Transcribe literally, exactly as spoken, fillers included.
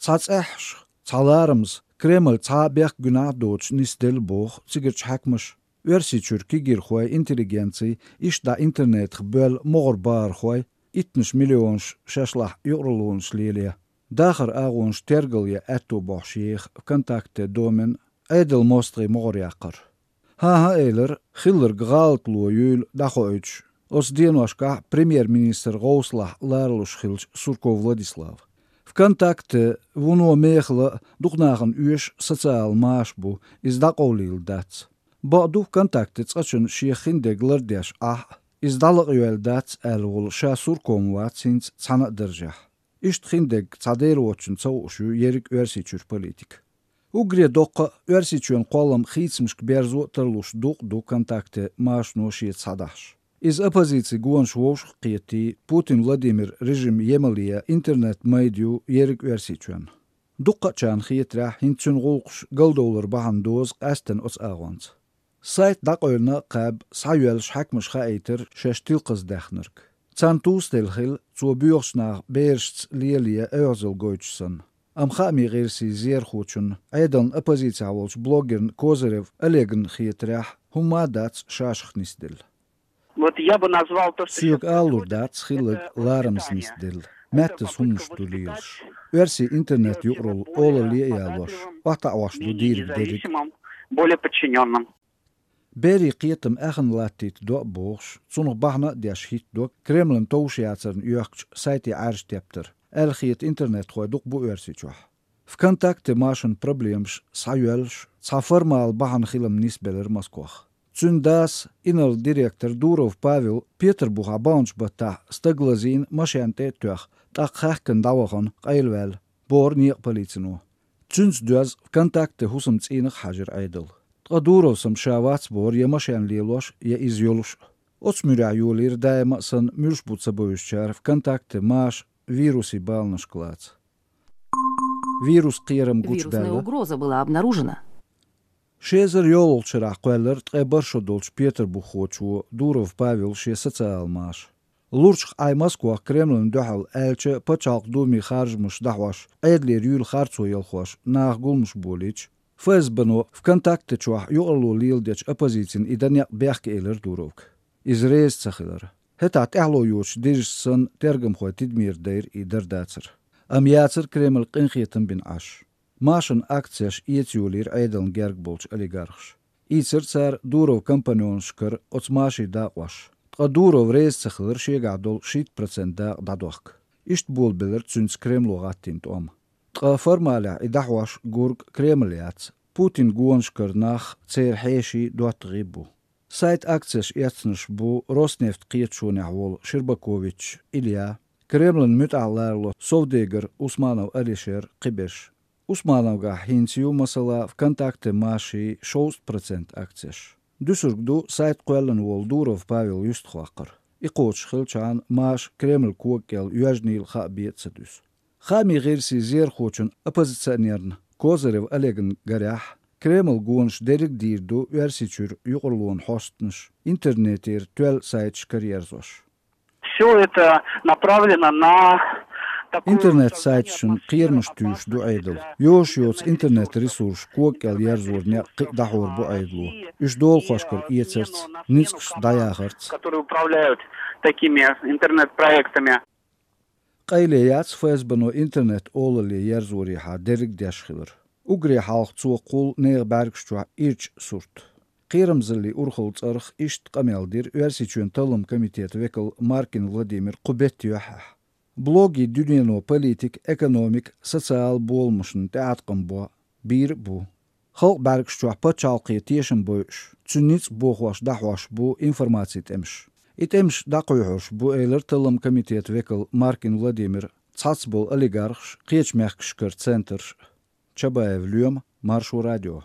Цхьа цӀеххьашха, цхьа ларамза Кремль цхьа а бехк гуьнахь а доцуш нисделла боху цигарчу хьаькамаша, Оьрсийчуьра кегийрхой, интеллигенций, иштта дӀа интернетах боьлла могӀара бахархой иттанаш миллионаш шашлахь юкъараллонаш лело, дахаран агӀонаш тергал ян аьтто бохьуш еха ВКонтакте домен Ӏедалан мостагӀийн могӀара яккхар. ХӀан-хӀа, элира, хилларг гӀалатло юйла дӀахоуьйтуш оцу деношкахь премьер-министран гӀовсалахь ларалуш хиллачу Сурков Владислава. ВКонтакте вуно мехала а, дукха нахана оьшу социал маша бу, иза дӀакъовлийла дац. Бакъду, ВКонтакте цкъачунна шен хиндерг лардеш Ӏахь а, иза дӀалакъайойла дац аьлла волу ша Сурков ма вац хӀинца цхьана а даржехь. Иштта хиндерг цхьа дера воцчунна ца хууш ю ерриг Оьрсийчуьра политика. Уггаре доккха а Оьрсийчоьнан кхоллам хийцамашка берзо а тарлуш дукъ ду ВКонтакте машано шеца схьадахьаш. Иза оппозицин гонаш вовшах а кхетий, Путин Владимиран режим емал ян интернет-майда ю ерриг Оьрсийчоьнна. Дуккхачарна хетарехь, хӀинца цуьнан гӀуллакхаш галдовлар бахьана дозу къаьсттина оцу агӀонца. Сайт дӀакъевлина а кхаьбна, схьайоьллуш хьаькамаша хаийтира шаьш тилкхаза даьхнарг. Царна тӀаьхьа хилла цо боьхачу наха берашца лелае оьгӀазалла гойтуш санна. Амма хаамийн гӀирсийн зерхочунна, Ӏедалан оппозицехь волчу блогерна Козырев Олегна хетарехь, хӀумма а дац шашах нисделла. Вот я бы назвал то, что... Соьга алалур дац хилларг ларамза нисделла, меттаза хӀуманаш ду лелаш. Оьрсийн интернет-юкъаралла олалле а ялош, охьатаӀош ду дийриг дерриг а. Более подчинённым. Берийн кхетам аьхна латтийта до а бохуш, цунах бахьана а деш хӀиттадо Кремлана товш яцарна йоьхкучу сайте Ӏаьржа тептар, аьлла хета интернетхой дукха бу Оьрсийчохь. ВКонтакте машанан проблемаш схьайоьллуш, цхьа формала бахьана хилам нисбелира Москох. Цуьнан дас, инарла директор Дуров Павел Петарбухахь баханчу баттахь стаг лазийна, машен тӀе а тоьхна, тӀаккха хаьхкина дӀавахана, къайлаваьлла, бохура некъан полицино. Цуьнца доьзна ВКонтакте хӀусамцӀийнах а хьаьжира Ӏедал. Ткъа Дуров сама ша вац бохура я машен лелош, я иза йолуш а. Оцу муьрехь йолийра даима а санна, муьлш бу ца бевзачара ВКонтакте маша вирусан баланашка лаца. Вирус кхерам гучубаьлла. Вирусная угроза была обнаружена. Ши эзар йолхалгӀачу шарахь кхоьллира ткъе бархӀ шо долчу петарбуххочо Дуров Павела шен социал маша. Лурчах Ӏай Москох Кремлана дуьхьал аьлча, Пачхьалкхан Думин харжамаш дӀахьош, Ӏедалера юьйла харцо ялхош, наха гуламаш болийча, ФСБ-но ВКонтакте чохь юкъаралло леладечу оппозицина и дан некъ бехке элира Дуровга. Иза реза ца хилира. ХӀетахь тӀаьхьало йоцуш дижаш санна, тергамхойн тидамера дайра и дар-дацар. Амма яцара Кремль къинхетам бина Ӏаш. Машанан акцеш эца йолийра Ӏедална герга болчу олигархаша. Ийцира цара Дуровн компаньонашкара оцу машийн дакъош. Ткъа Дуров реза ца хилира шегахь долу шийтта процент дакъа дӀадохка. Иштта болабелира цуьнца Кремло гӀаттийна тӀом. Ткъа формалехь и дӀахьош гург Кремль яц. Путинан гонашкара нах, церан хьеший, доттагӀий бу. Сайт акцеш эцнарш бу Роснефть кхеташонехь волу Щербакович Илья, Кремлана муьтӀахь ларало совдегар Усманов Алишер, кхиберш. Усмановгахь хӀинца ю, масала, ВКонтакте машийн шовзткъа процент акцеш. Дуьсург ду сайт кхоьллина волу Дуров Павел юьстахваккхар. И кхочуш хилчахьана, маша Кремлан кога кӀел йоьжнийла хаа бен а ца дуьсу. Хаамийн гӀирсийн зерхочун, оппозиционерна Козырев Олегна гарехь, Кремлан гонаш дерриг а дийр ду Оьрсийчуьра юкъараллин хьостанаш, интернетера тоьлла сайташ караерзош. Всё это направлено на такую... Интернет-сайташна кхерамаш туьйсуш ду Ӏедал. Йозуш йоцу интернет-ресурсаш кога кӀел ерзоран некъ кхин а дӀахьор бу Ӏедало. Уьш долахошкара эцарца, ницкъаш дӀаяхарца. Которые управляют такими интернет-проектами. Къайле яц ФСБ-но интернет олалле ерзорехьа дерриг а деш хилар. Уггаре хьалха цо кхуллу нехан бӀаьргаш чохь ирча сурт. Кхерамзаллин урхаллин цӀарах иштта къамел дира Оьрсийчоьнан талламан комитетан векал Маркин Владимир кху беттан юьххьехь. Блогийн дуьнено политика, экономика, социал боламашна тӀеӀаткъам бо, бийр а бу. Халкъан бӀаьргаш чохь пачхьалкхе тешам бойуш, цуьнан ницкъ бохош дӀахьош бу информацин тӀемаш. И тӀемаш дӀакхоьхьуш бу, элира талламан комитетан векал Маркин Владимира, цхьацца болу олигархаш, кхечу мехкашкара центраш а. Чабаев Лоьма, Маршо радио.